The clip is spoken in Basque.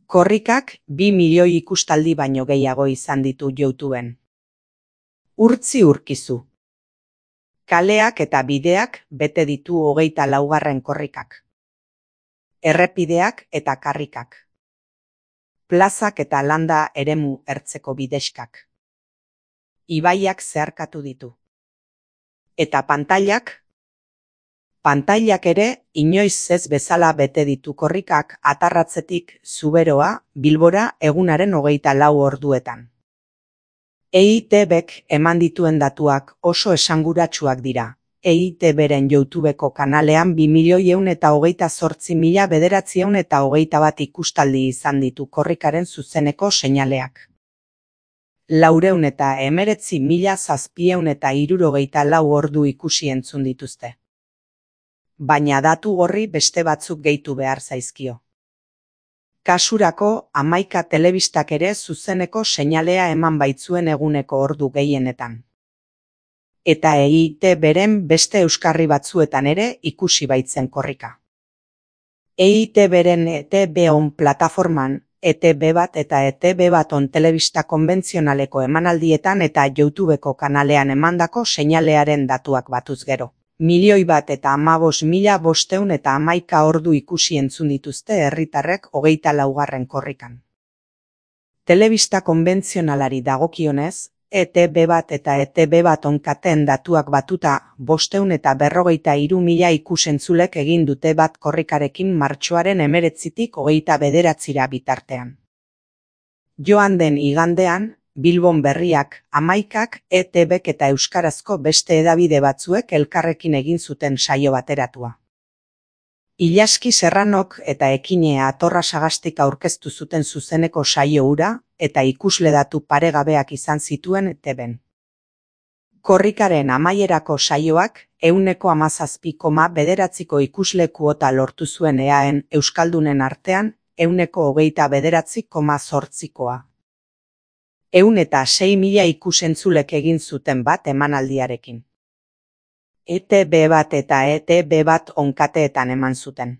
Korrikak 2 milioi ikustaldi baino gehiago izan ditu YouTubeen. Urtzi urkizu. Kaleak eta bideak bete ditu 24. korrikak. Errepideak eta karrikak. Plazak eta landa eremu ertzeko bidexkak. Ibaiak zeharkatu ditu. Eta pantailak? Pantailak ere inoiz ez bezala bete ditu korrikak Atarratzetik Zuberoa Bilbora egunaren 24 orduetan. EITBek eman dituen datuak oso esanguratsuak dira. EITBren YouTubeko kanalean 2.128.921 ikustaldi izan ditu korrikaren zuzeneko seinaleak. 419.764 ordu ikusi entzun dituzte. Baina datu horri beste batzuk gehitu behar zaizkio. Kasurako 11 telebistak ere zuzeneko seinalea eman baitzuen eguneko ordu gehienetan. Eta EITBren beste euskarri batzuetan ere ikusi baitzen korrika. EITBren ETB-on plataforman, ETB1 eta ETB1 telebista konbentzionaleko emanaldietan eta YouTubeko kanalean emandako seinalearen datuak batuz gero. 1.015.511 ordu ikusi entzun dituzte herritarrek 24. korrikan. Telebista konbentzionalari dagokionez, ETB1 eta ETB1 kateen datuak batuta 543.000 ikusentzulek egin dute bat korrikarekin martxoaren 19tik 29 bitartean. Joan den igandean, Bilbon Berriak, 11ak, ETBk eta euskarazko beste hedabide batzuek elkarrekin egin zuten saio bateratua. Ilaski Serranok eta Ekinea Atorra Sagastik aurkeztu zuten zuzeneko saio hura eta ikusle datu paregabeak izan zituen ETBen. Korrikaren amaierako saioak 17,9 ikusle kuota lortu zuen EAen euskaldunen artean 29,8%. 106.000 ikusentzulek egin zuten bat emanaldiarekin. ETB1 eta ETB1 kateetan eman zuten.